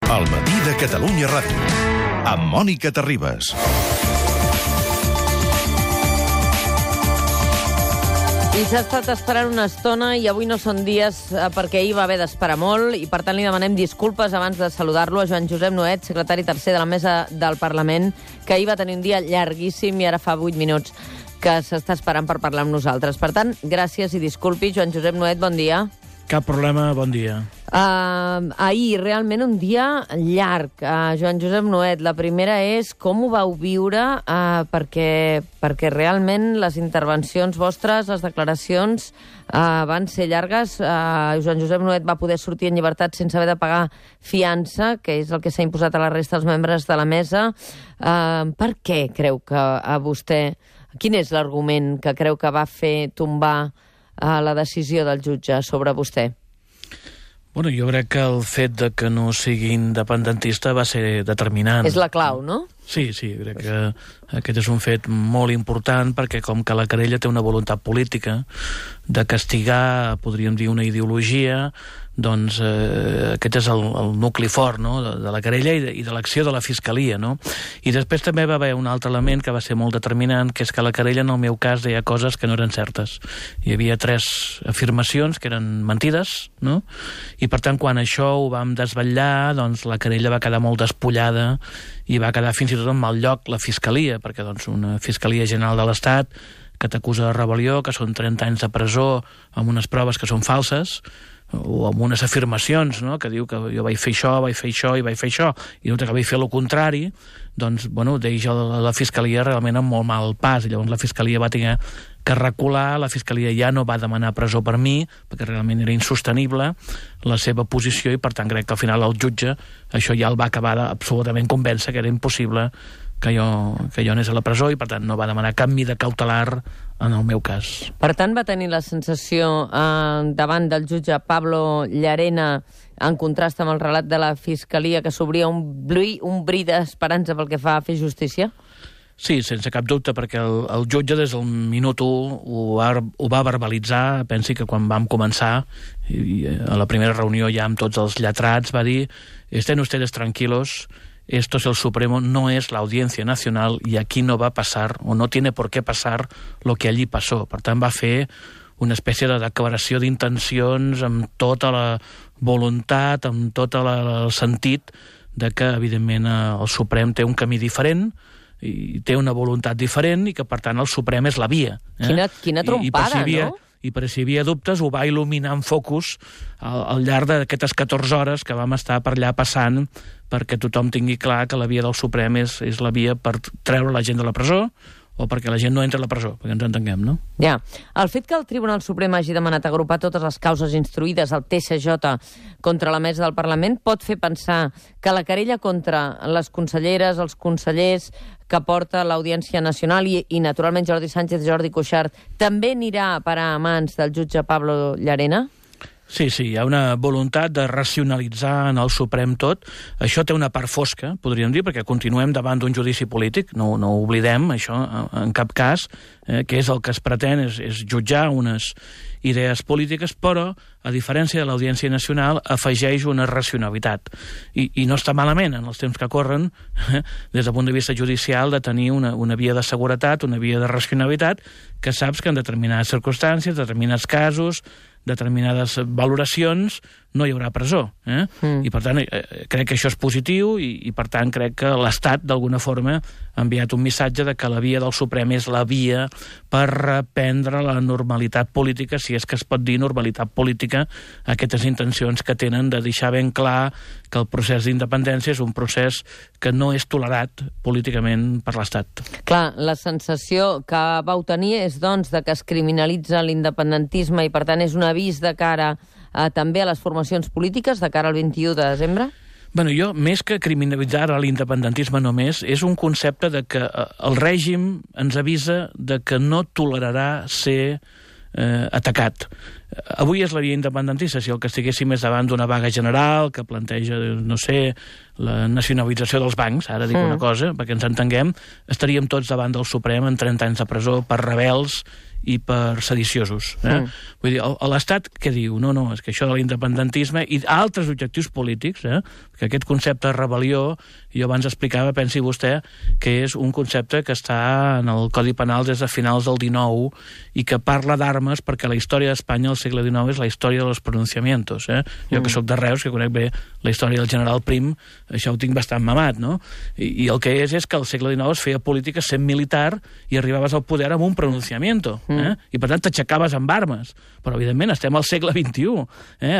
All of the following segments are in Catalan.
El matí de Catalunya Ràdio, amb Mònica Terribas. I s'ha estat esperant una estona i avui no són dies perquè ahir va haver d'esperar molt i per tant li demanem disculpes abans de saludar-lo a Joan Josep Nuet, secretari tercer de la Mesa del Parlament, que ahir va tenir un dia llarguíssim i ara fa 8 minuts que s'està esperant per parlar amb nosaltres. Per tant, gràcies i disculpi. Joan Josep Nuet, bon dia. Cap problema, bon dia. Ahir, realment un dia llarg. Joan Josep Nuet, la primera és com ho vau viure, perquè realment les intervencions vostres, les declaracions, van ser llargues. Joan Josep Nuet va poder sortir en llibertat sense haver de pagar fiança, que és el que s'ha imposat a la resta dels membres de la mesa. Per què creu que a vostè... Quin és l'argument que creu que va fer tombar la decisió del jutge sobre vostè? Bueno, jo crec que el fet de que no sigui independentista va ser determinant. És la clau, no? Sí, crec que aquest és un fet molt important perquè com que la querella té una voluntat política de castigar, podríem dir, una ideologia, doncs aquest és el nucli fort, no?, de la querella i de l'acció de la Fiscalia, no? I després també va haver un altre element que va ser molt determinant, que és que la querella, en el meu cas, deia coses que no eren certes. Hi havia 3 afirmacions que eren mentides, no? I per tant, quan això ho vam desvetllar, doncs la querella va quedar molt despullada i va quedar fins i tot en mal lloc la Fiscalia, perquè doncs una Fiscalia General de l'Estat que t'acusa de rebel·lió, que són 30 anys de presó amb unes proves que són falses, o amb unes afirmacions, no?, que diu que jo vaig fer això i vaig fer això, i no que vaig fer el contrari, doncs, bueno, deixa la Fiscalia realment amb molt mal pas, i llavors la Fiscalia va tenir que recular, la Fiscalia ja no va demanar presó per mi, perquè realment era insostenible la seva posició, i per tant crec que al final el jutge això ja el va acabar absolutament convèncer que era impossible que jo anés a la presó, i per tant no va demanar cap mida cautelar en el meu cas. Per tant, va tenir la sensació davant del jutge Pablo Llarena, en contrast amb el relat de la Fiscalia, que s'obria un bri d'esperança pel que fa a fer justícia? Sí, sense cap dubte, perquè el jutge des del minut 1 ho va verbalitzar. Pensi que quan vam començar, i a la primera reunió ja amb tots els lletrats, va dir: «Estén ustedes tranquilos, esto es el Supremo, no es la Audiencia Nacional y aquí no va a pasar, o no tiene por qué pasar, lo que allí pasó». Per tant, va fer una espècie de declaració d'intencions amb tota la voluntat, amb tot el sentit de que, evidentment, el Suprem té un camí diferent, i té una voluntat diferent, i que, per tant, el Suprem és la via. Quina trompada, no? I per si hi havia dubtes, ho va il·luminar en focus al llarg d'aquestes 14 hores que vam estar per allà passant, perquè tothom tingui clar que la via del Suprem és la via per treure la gent de la presó, o perquè la gent no entra a la presó, perquè ens entenguem, no? Ja. El fet que el Tribunal Suprem hagi demanat agrupar totes les causes instruïdes al TSJ contra la Mesa del Parlament pot fer pensar que la querella contra les conselleres, els consellers que porta l'Audiència Nacional i naturalment Jordi Sánchez i Jordi Cuixart també anirà a parar a mans del jutge Pablo Llarena? Sí, hi ha una voluntat de racionalitzar en el Suprem tot. Això té una part fosca, podríem dir, perquè continuem davant d'un judici polític, no ho oblidem, això, en cap cas, que és el que es pretén, és jutjar unes idees polítiques, però, a diferència de l'Audiència Nacional, afegeix una racionalitat. I no està malament, en els temps que corren, des del punt de vista judicial, de tenir una via de seguretat, una via de racionalitat, que saps que en determinades circumstàncies, determinats casos, determinades valoracions, no hi haurà presó. I, per tant, crec que això és positiu i, per tant, crec que l'Estat, d'alguna forma, ha enviat un missatge de que la via del Suprem és la via per reprendre la normalitat política, si és que es pot dir normalitat política, aquestes intencions que tenen de deixar ben clar que el procés d'independència és un procés que no és tolerat políticament per l'Estat. Clar, la sensació que vau tenir és, doncs, de que es criminalitza l'independentisme i, per tant, és un avís de cara també a les formacions polítiques de cara al 21 de desembre? Bueno, jo, més que criminalitzar l'independentisme només, és un concepte de que el règim ens avisa de que no tolerarà ser atacat. Avui és la via independentista. Si el que estiguéssim és davant d'una vaga general que planteja, no sé, la nacionalització dels bancs, ara dic una cosa, perquè ens entenguem, estaríem tots davant del Suprem en 30 anys de presó per rebels i per sediciosos. Vull dir, l'Estat què diu? No, és que això de l'independentisme i altres objectius polítics, que aquest concepte de rebel·lió, jo abans explicava, pensi vostè, que és un concepte que està en el Codi Penal des de finals del XIX i que parla d'armes perquè la història d'Espanya al segle XIX és la història dels pronunciamientos. Jo que sóc de Reus, que conec bé la història del general Prim, això ho tinc bastant mamat, no? I el que és que al segle XIX es feia política sent militar i arribaves al poder amb un pronunciamiento. I per tant t'aixecaves amb armes, però evidentment estem al segle XXI,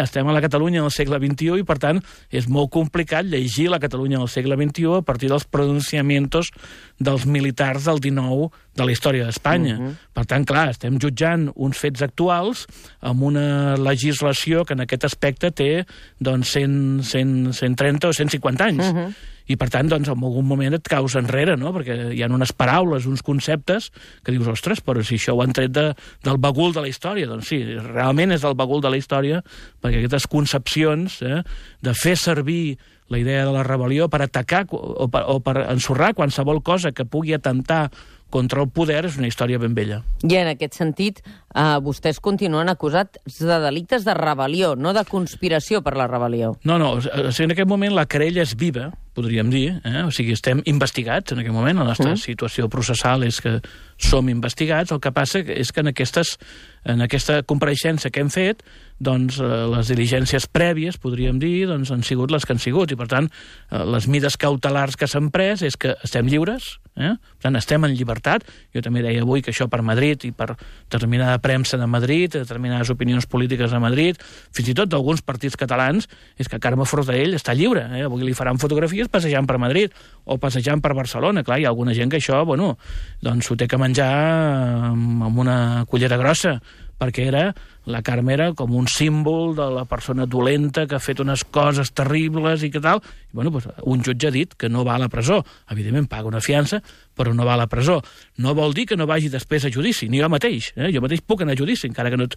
estem a la Catalunya del segle XXI i per tant és molt complicat llegir la Catalunya del segle XXI a partir dels pronunciamientos dels militars del XIX de la història d'Espanya. Per tant, clar, estem jutjant uns fets actuals amb una legislació que en aquest aspecte té doncs, 130 o 150 anys. I, per tant, doncs, en algun moment et caus enrere, no? Perquè hi ha unes paraules, uns conceptes que dius, ostres, però si això ho han tret del bagul de la història. Doncs sí, realment és del bagul de la història, perquè aquestes concepcions de fer servir la idea de la rebel·lió per atacar o per ensorrar qualsevol cosa que pugui atentar contra el poder és una història ben vella. I en aquest sentit, vostès continuen acusats de delictes de rebel·lió, no de conspiració per la rebel·lió. No, en aquest moment la querella és viva, podríem dir, o sigui, estem investigats en aquest moment, la nostra situació processal és que som investigats, el que passa és que en aquesta compareixença que hem fet, doncs les diligències prèvies, podríem dir, doncs han sigut les que han sigut, i per tant, les mides cautelars que s'han pres és que estem lliures, per tant, estem en llibertat. Jo també deia avui que això per Madrid i per determinada premsa de Madrid, determinades opinions polítiques de Madrid, fins i tot d'alguns partits catalans, és que Carme Forcadell està lliure. Avui li faran fotografies passejant per Madrid o passejant per Barcelona. Clar, hi ha alguna gent que això, bueno, doncs s'ho té que menjar amb una cullera grossa, perquè la Carme era com un símbol de la persona dolenta que ha fet unes coses terribles i que tal. I, bueno, doncs, un jutge ha dit que no va a la presó. Evidentment paga una fiança, però no va a la presó. No vol dir que no vagi després a judici, ni jo mateix. Jo mateix puc anar a judici, encara que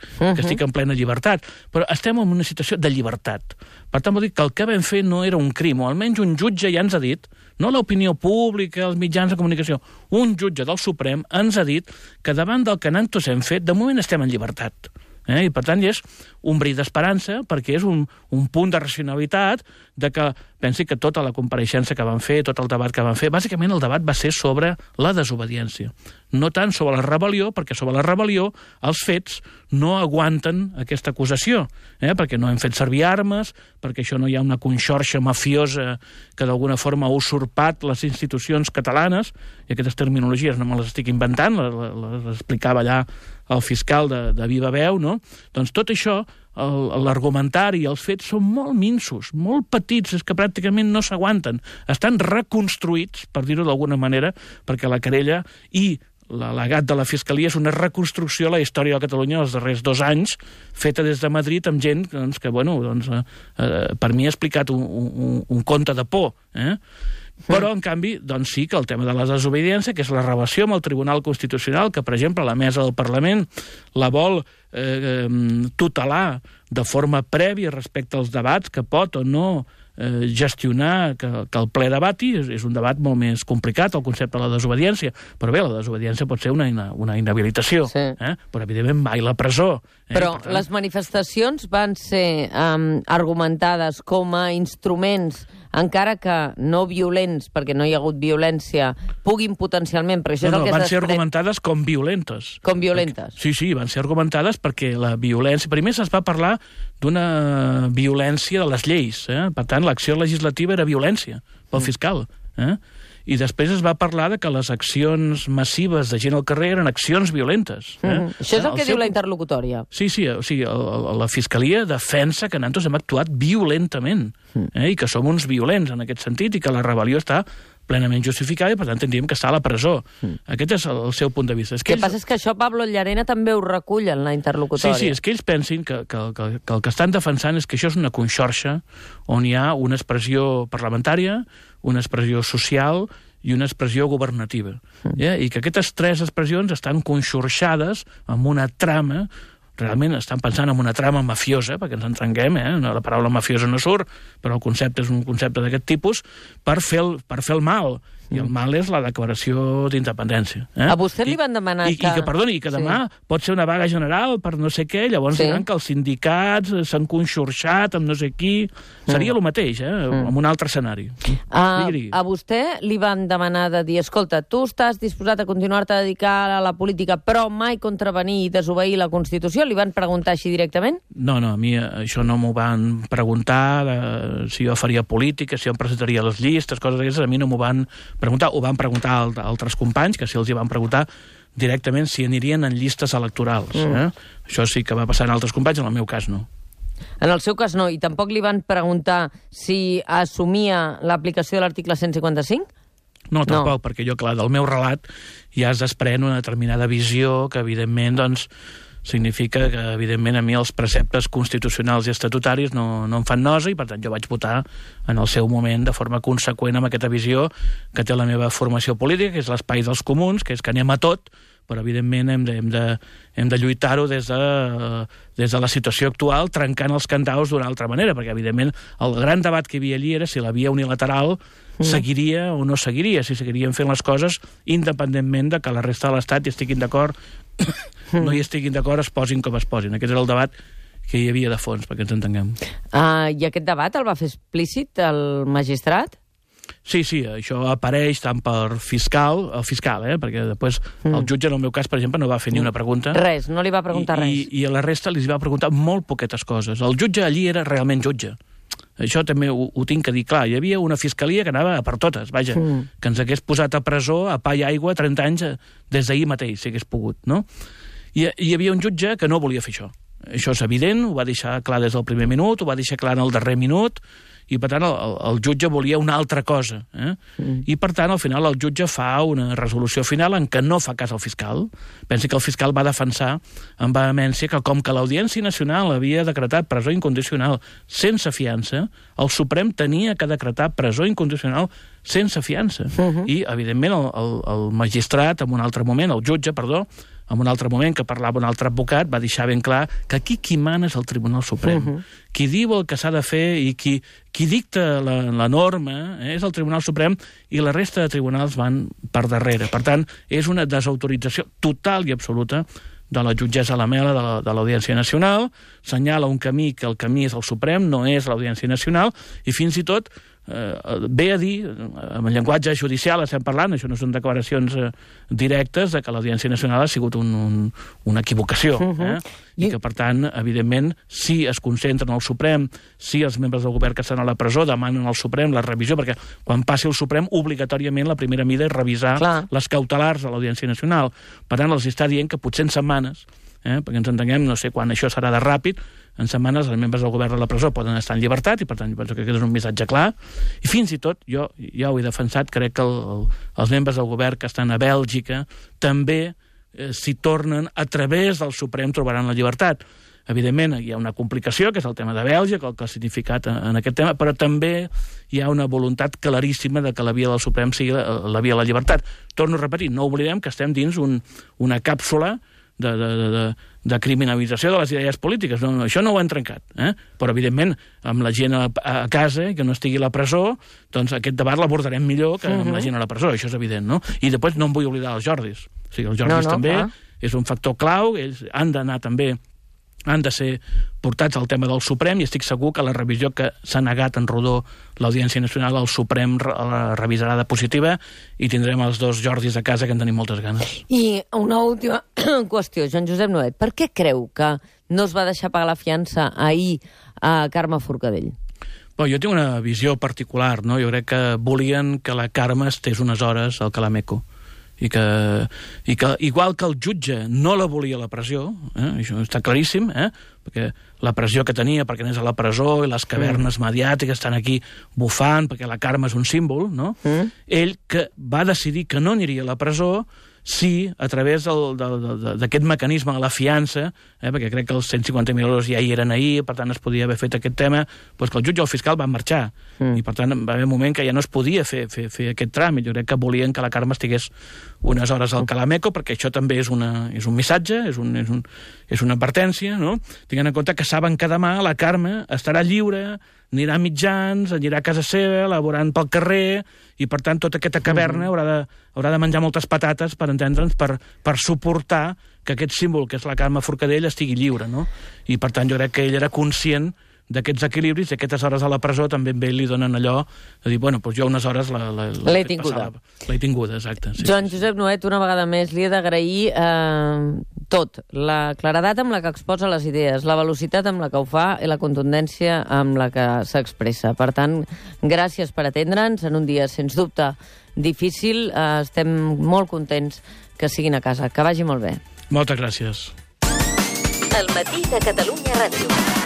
estic en plena llibertat. Però estem en una situació de llibertat. Per tant, vol dir que el que vam fer no era un crim, o almenys un jutge ja ens ha dit, no l'opinió pública, els mitjans de comunicació, un jutge del Suprem ens ha dit que davant del que nosaltres hem fet, de moment estem en llibertat. I per tant és un bri d'esperança perquè és un punt de racionalitat de que pensi que tota la compareixença que van fer, tot el debat que van fer, bàsicament el debat va ser sobre la desobediència, no tant sobre la rebel·lió, perquè sobre la rebel·lió els fets no aguanten aquesta acusació, perquè no hem fet servir armes, perquè això no hi ha una conxorxa mafiosa que d'alguna forma ha usurpat les institucions catalanes, i aquestes terminologies no me les estic inventant, les explicava allà el fiscal de viva veu, no? Doncs tot això, l'argumentari i els fets són molt minsos, molt petits, és que pràcticament no s'aguanten. Estan reconstruïts, per dir-ho d'alguna manera, perquè la querella i l'al·legat de la Fiscalia és una reconstrucció de la història de Catalunya dels darrers 2 anys, feta des de Madrid amb gent que, bueno, per mi ha explicat un conte de por, Però, en canvi, doncs sí que el tema de la desobediència, que és la relació amb el Tribunal Constitucional, que, per exemple, la mesa del Parlament la vol tutelar de forma prèvia respecte als debats que pot o no gestionar que el ple debati, és un debat molt més complicat, el concepte de la desobediència, però bé, la desobediència pot ser una inhabilitació, però evidentment mai la presó. Però les manifestacions van ser argumentades com a instruments, encara que no violents, perquè no hi ha hagut violència, puguin potencialment... No, van ser argumentades com violentes. Com violentes. Sí, van ser argumentades perquè la violència... Primer es va parlar d'una violència de les lleis, per tant, l'acció legislativa era violència pel fiscal, i després es va parlar de que les accions massives de gent al carrer eren accions violentes. Això és el que diu la interlocutòria. Sí, o sigui, la Fiscalia defensa que nosaltres hem actuat violentament, i que som uns violents en aquest sentit, i que la rebel·lió està plenament justificada i, per tant, tindríem que estar a la presó. Aquest és el seu punt de vista. El que passa és que això Pablo Llarena també ho recull en la interlocutòria. Sí, és que ells pensin que el que estan defensant és que això és una conxorxa on hi ha una expressió parlamentària, una expressió social i una expressió governativa. I que aquestes 3 expressions estan conxorxades amb una trama. Realment estan pensant en una trama mafiosa, perquè ens entenguem, la paraula mafiosa no surt, però el concepte és un concepte d'aquest tipus, per fer el mal. I el mal és la declaració d'independència. A vostè li van demanar que... I que demà pot ser una vaga general per no sé què, llavors diran que els sindicats s'han conxorxat amb no sé qui... Seria el mateix, en un altre escenari. A vostè li van demanar de dir, escolta, tu estàs disposat a continuar-te a dedicar a la política, però mai contravenir i desobeir la Constitució? Li van preguntar així directament? No, a mi això no m'ho van preguntar, si jo faria política, si jo em presentaria a les llistes, coses d'aquestes, a mi no m'ho van preguntar. Ho van preguntar a altres companys, que sí els hi van preguntar directament si anirien en llistes electorals. Això sí que va passar en altres companys, en el meu cas no. En el seu cas no, i tampoc li van preguntar si assumia l'aplicació de l'article 155? No, tampoc, perquè jo, clar, del meu relat ja es desprèn una determinada visió que, evidentment, doncs, significa que, evidentment, a mi els preceptes constitucionals i estatutaris no em fan nosa i, per tant, jo vaig votar en el seu moment de forma conseqüent amb aquesta visió que té la meva formació política, que és l'espai dels comuns, que és que anem a tot, però evidentment hem de lluitar-ho des de la situació actual, trencant els candaus d'una altra manera, perquè evidentment el gran debat que hi havia allí era si la via unilateral seguiria o no seguiria, si seguirien fent les coses independentment de que la resta de l'Estat hi estiguin d'acord, no hi estiguin d'acord, es posin com es posin. Aquest era el debat que hi havia de fons, perquè ens entenguem. I aquest debat el va fer explícit el magistrat? Sí, això apareix tant per el fiscal, perquè després el jutge, en el meu cas, per exemple, no va fer ni una pregunta. Res, no li va preguntar res. I a la resta li va preguntar molt poquetes coses. El jutge allí era realment jutge. Això també ho tinc que dir clar. Hi havia una fiscalia que anava per totes, vaja, que ens hagués posat a presó, a pa i aigua, 30 anys des d'ahir mateix, si hagués pogut, no? I hi havia un jutge que no volia fer això. Això és evident, ho va deixar clar des del primer minut, ho va deixar clar en el darrer minut, i per tant el jutge volia una altra cosa. I per tant al final el jutge fa una resolució final en què no fa cas al fiscal. Pensi que el fiscal va defensar amb vehemència que com que l'Audiència Nacional havia decretat presó incondicional sense fiança, el Suprem tenia que decretar presó incondicional sense fiança. I evidentment el magistrat en un altre moment, el jutge, perdó, en un altre moment que parlava un altre advocat, va deixar ben clar que aquí qui mana és el Tribunal Suprem. Qui diu el que s'ha de fer i qui dicta la norma és el Tribunal Suprem i la resta de tribunals van per darrere. Per tant, és una desautorització total i absoluta de la jutgessa Lamela de l'Audiència Nacional, senyala un camí que el camí és el Suprem, no és l'Audiència Nacional, i fins i tot ve a dir, amb el llenguatge judicial estem parlant, això no són declaracions directes, de que l'Audiència Nacional ha sigut una equivocació. I que, per tant, evidentment, si es concentren al Suprem, si els membres del govern que estan a la presó demanen al Suprem la revisió, perquè quan passi el Suprem, obligatòriament la primera mida és revisar les cautelars de l'Audiència Nacional. Per tant, els està dient que potser en setmanes, perquè ens entenguem, no sé quan això serà de ràpid, en setmanes els membres del govern de la presó poden estar en llibertat i per tant penso que aquest és un missatge clar i fins i tot, jo ja ho he defensat, crec que els membres del govern que estan a Bèlgica també si tornen a través del Suprem trobaran la llibertat. Evidentment hi ha una complicació, que és el tema de Bèlgica, el que ha significat en aquest tema, però també hi ha una voluntat claríssima de que la via del Suprem sigui la via de la llibertat. Torno a repetir, no oblidem que estem dins una càpsula de criminalització de les idees polítiques. No, això no ho han trencat. Però, evidentment, amb la gent a casa i que no estigui a la presó, doncs aquest debat l'abordarem millor que amb la gent a la presó, això és evident, no? I després no em vull oblidar els Jordis. O sigui, els Jordis també és un factor clau, ells han d'anar també han de ser portats al tema del Suprem i estic segur que la revisió que s'ha negat en rodó l'Audiència Nacional, el Suprem la revisarà de positiva i tindrem els dos Jordis a casa que en tenim moltes ganes. I una última qüestió, Joan Josep Nuet, per què creu que no es va deixar pagar la fiança ahir a Carme Forcadell? Bé, jo tinc una visió particular, no? Jo crec que volien que la Carme estés unes hores al Calameco. I que igual que el jutge no la volia la pressió, això està claríssim, perquè la pressió que tenia perquè anés a la presó i les cavernes mediàtiques estan aquí bufant perquè la Carme és un símbol, no? Ell que va decidir que no aniria a la presó si a través d'aquest mecanisme de la fiança, perquè crec que els 150.000 euros ja hi eren ahir, per tant es podia haver fet aquest tema, doncs que el jutge o el fiscal van marxar, i per tant va haver un moment que ja no es podia fer aquest tràmit. Jo crec que volien que la Carme estigués unes hores al Calameco, perquè això també és un missatge, és una advertència, no? Tinguent en compte que saben que demà la Carme estarà lliure anirà a mitjans, anirà a casa seva, laborant pel carrer, i per tant tota aquesta caverna haurà de menjar moltes patates, per entendre'ns, per suportar que aquest símbol, que és la Carme Forcadell, estigui lliure, no? I per tant jo crec que ell era conscient d'aquests equilibris, i aquestes hores a la presó també a ell li donen allò de dir, bueno, doncs jo unes hores l'he tinguda. L'he tinguda, exacte. Sí, Joan Josep Nuet, una vegada més, li he d'agrair tot. La claredat amb la que exposa les idees, la velocitat amb la que ho fa i la contundència amb la que s'expressa. Per tant, gràcies per atendre'ns en un dia, sens dubte, difícil. Estem molt contents que siguin a casa. Que vagi molt bé. Moltes gràcies. El matí de Catalunya Ràdio.